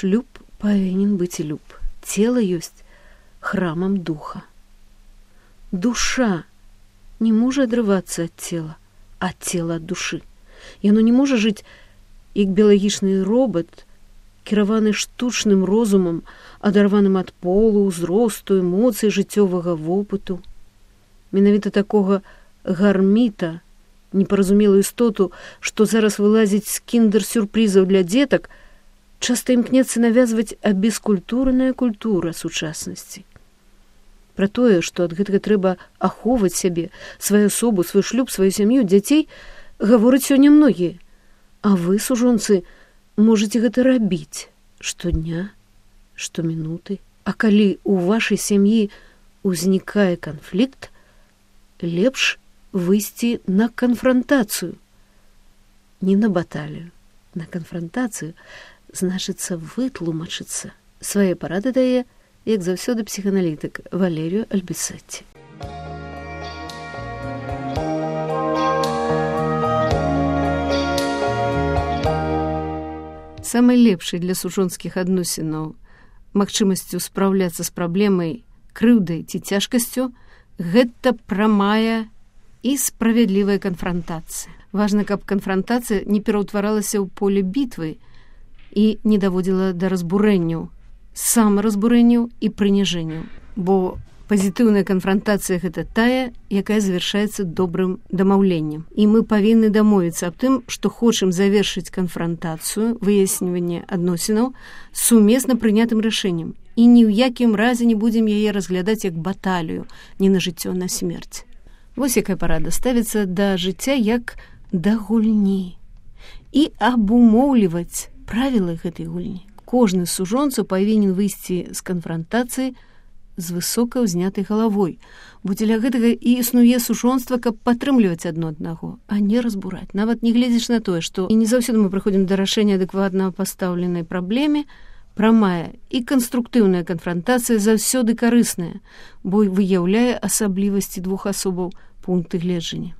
шлюб павінен быць люб. Цела ёсць храмам духа. Душа не можа адрывацца ад цела, а цела ад душы. Яно не можа жыць як біялагічны робот, кіраваны штучным розумам, адарваным ад полу, узросту, эмоцый, жыццёвага вопыту. Менавіта такога гарміта, непаразумелую істоту, што зараз вылазіць з кіндер-сюрпрызаў для дзетак, часта імкнецца навязваць абескультураная культура сучаснасці. Пра тое, што ад гэтага трэба ахоўваць сябе, сваю асобу, свой шлюб, сваю сям'ю, дзяцей, гавораць сёння многія. А вы, сужонцы, можаце гэта рабіць штодня, штомінуты. А калі у вашай сям'і узнікае канфлікт, лепш выйсці на канфрантацыю. Не на баталію. На канфрантацыю значыцца вытлумачыцца. Свае парады дае, як заўсёды, псіханалітык Валерію Альбісетці. Самай лепшай для сужонскіх адносінаў магчымасцю спраўляцца з праблемай, крыўдай ці цяжкасцю гэта прамая і справядлівая канфрантацыя. Важна, каб канфрантацыя не пераўтваралася ў поле бітвы і не даводзіла да разбурэнняў, самаразбурэнняў і прыніжэнняў. Бо пазітыўная канфрантацыя гэта тая, якая завяршаецца добрым дамаўленнем. І мы павінны дамовіцца аб тым, што хочам завершыць канфрантацыю, выясніванне адносінаў сумесна прынятым рашэннем. І ні ў якім разе не будзем яе разглядаць як баталію, не на жыццё, на смерць. Вось якая парада ставіцца да жыцця як да гульні. І абумоўліваць правілы гэтай гульні. Кожны з сужонцаў павінен выйсці з канфрантацыі з высока ўзнятай галавой, бо дзеля гэтага і існуе сужонства, каб падтрымліваць адно аднаго, а не разбураць. Нават не гледзяч на тое, што і не заўсёды мы прыходзім да рашэння адэкватна пастаўленай праблеме, прамая і канструктыўная канфрантацыя заўсёды карысная, бо выяўляе асаблівасці двух асобаў пункты гледжання.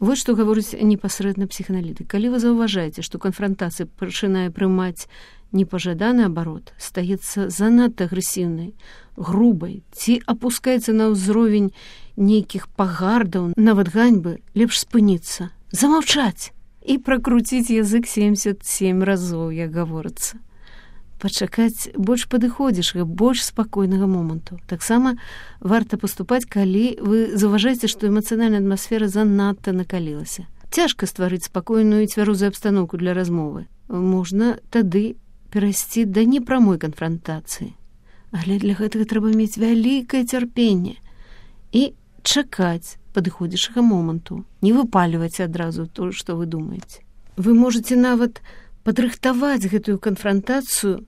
Вось што гаворыць непасрэдна псіханалітык. Калі вы заўважаеце, што канфрантацыя пачынае прымаць непажаданы абарот, стаецца занадта агрэсіўнай, грубай, ці апускаецца на ўзровень нейкіх пагардаў, нават ганьбы, лепш спыніцца, замаўчаць і пракруціць язык 77 разоў, як гаворыцца. Пачакаць больш падыходзішага, больш спакойнага моманту. Таксама варта паступаць, калі вы заўважаеце, што эмацыянальная атмасфера занадта накалілася. Цяжка стварыць спакойную і цвярозую абстаноўку для размовы. Можна тады перайсці да непрамой канфрантацыі. Але для гэтага трэба мець вялікае цярпенне і чакаць падыходзішага моманту, не выпальваць адразу тое, што вы думаеце. Вы можаце нават падрыхтаваць гэтую канфрантацыю,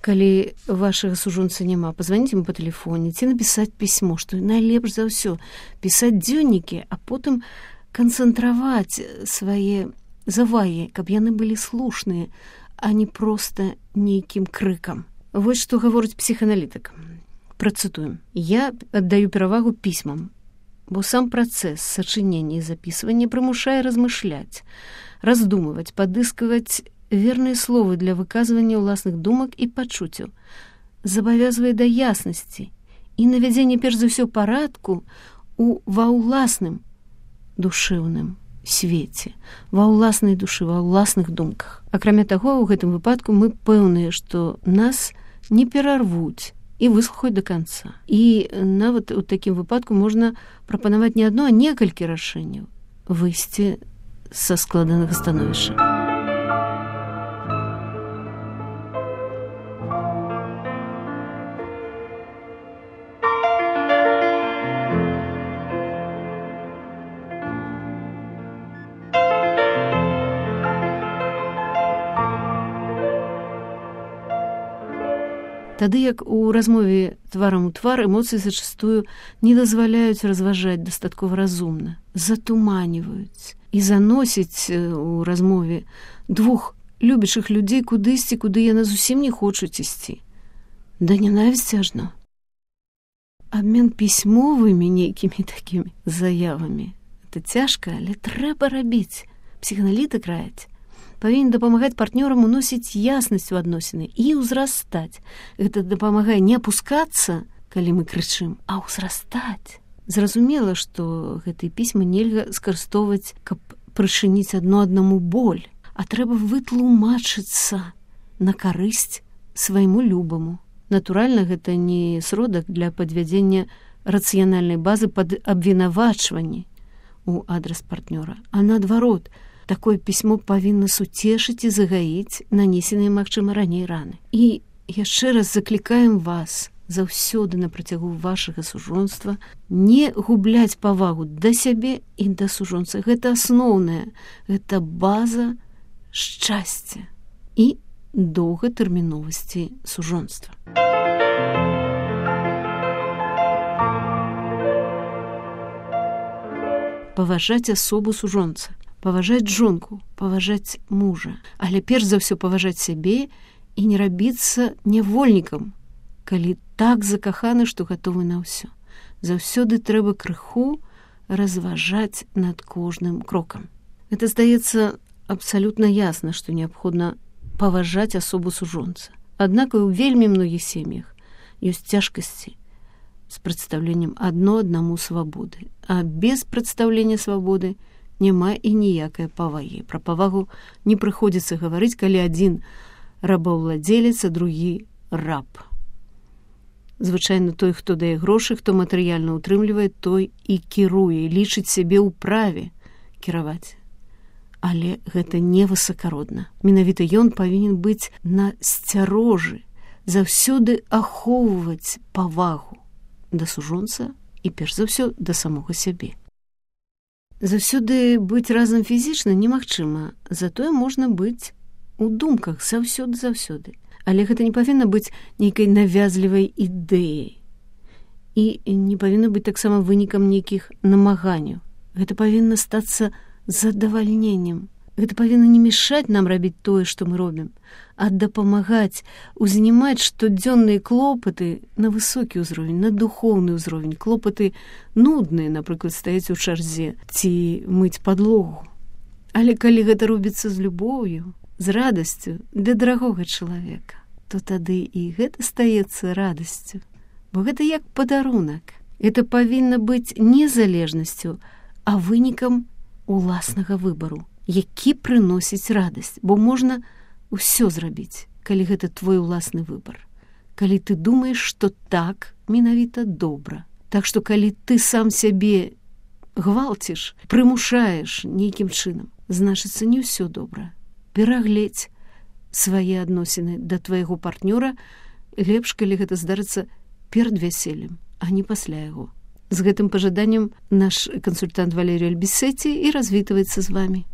калі вашага сужонца няма, пазваніць ему па тэлефоне ці напісаць пісьмо, што найлепш за ўсё пісаць дзённікі, а потым канцэнтраваць свае завагі, каб яны былі слушныя, а не проста нейкім крыкам. Вось што гаворыць псіханалітык. Працытуем. Я аддаю перавагу пісьмам, бо сам працэс сачынення і запісвання прымушае размышляць, раздумываць, падыскаваць верныя словы для выказвання ўласных думак і пачуццяў, забавязвае да яснасці і навядзення перш за ўсё парадку ва ўласным душэўным свеце, ва ўласнай душы, ва ўласных думках. Акрамя таго, у гэтым выпадку мы пэўныя, што нас не перарвуць і выслухаць да канца. І нават у такім выпадку можна прапанаваць не адно, а некалькі рашэнняў выйсці са складанага становішча. Тады як у размове тварам у твар эмоцыі зачастую не дазваляюць разважаць дастаткова разумна, затуманіваюць і заносіць у размове двух любячых людзей кудысьці, куды яны зусім не хочуць ісці. Да ненавісці ажно. Абмен пісьмовымі нейкімі такімі заявамі. Это цяжка, але трэба рабіць. Псіханалітык раіць. павінен дапамагаць партнёрам уносіць яснасць у адносіны і ўзрастаць. Гэта дапамагае не апускацца, калі мы крычым, а ўзрастаць. Зразумела, што гэтыя пісьмы нельга скарыстовваць, каб прычыніць аднаму боль, а трэба вытлумачыцца на карысць свайму любаму. Натуральна, гэта не сродак для падвядзення рацыянальнай базы пад абвінавачванні у адрас партнёра, а наадварот, такое пісьмо павінна суцешыць і загаіць нанесеныя, магчыма, раней раны. І яшчэ раз заклікаем вас заўсёды на працягу вашага сужонства не губляць павагу да сябе і да сужонца. Гэта асноўнае, гэта база шчасця і доўгатэрміновасці сужонства. Паважаць асобу сужонца, паважаць жонку, паважаць мужа, але перш за ўсё паважаць сябе і не рабіцца нявольнікам, калі так закаханы, што гатовы на ўсё. Заўсёды трэба крыху разважаць над кожным крокам. Гэта здаецца абсалютна ясна, што неабходна паважаць асобу сужонца. Аднак і ў вельмі многіх сем'ях ёсць цяжкасці з прадстаўленнем аднаму свабоды. А без прадстаўлення свабоды няма і ніякай павагі. Пра павагу не прыходзіцца гаварыць, калі адзін рабаўладзелец, а другі раб. Звычайна той, хто дае грошы, хто матэрыяльна ўтрымлівае, той і кіруе, лічыць сябе ў праве кіраваць. Але гэта не высакародна. Менавіта ён павінен быць на сцярожы, заўсёды ахоўваць павагу да сужонца і перш за ўсё да самога сябе. Заўсёды быць разам фізічна немагчыма, затое можна быць у думках заўсёды. Але гэта не павінна быць нейкай навязлівай ідэяй. І не павінна быць таксама вынікам нейкіх намаганняў. Гэта павінна стацца задавальненнем. Гэта павінна не мешаць нам рабіць тое, што мы робім, а дапамагаць узнімаць штодзённыя клопаты на высокі ўзровень, на духоўны ўзровень, клопаты нудныя, напрыклад, стаяць у чарзе ці мыць падлогу. Але калі гэта робіцца з любоўю, з радасцю для дарагога чалавека, то тады і гэта стаецца радасцю, бо гэта як падарунак. Гэта павінна быць незалежнасцю, а вынікам уласнага выбару, які прыносіць радасць, бо можна ўсё зрабіць, калі гэта твой уласны выбар. Калі ты думаеш, што так менавіта добра. Так што калі ты сам сябе гвалціш, прымушаеш нейкім чынам, значыцца не ўсё добра. Перагледзь свае адносіны да твайго партнёра, лепш, калі гэта здарыцца перад вяселлем, а не пасля яго. З гэтым пажаданнем наш кансультант Валерій Альбісеці і развітваецца з вамі.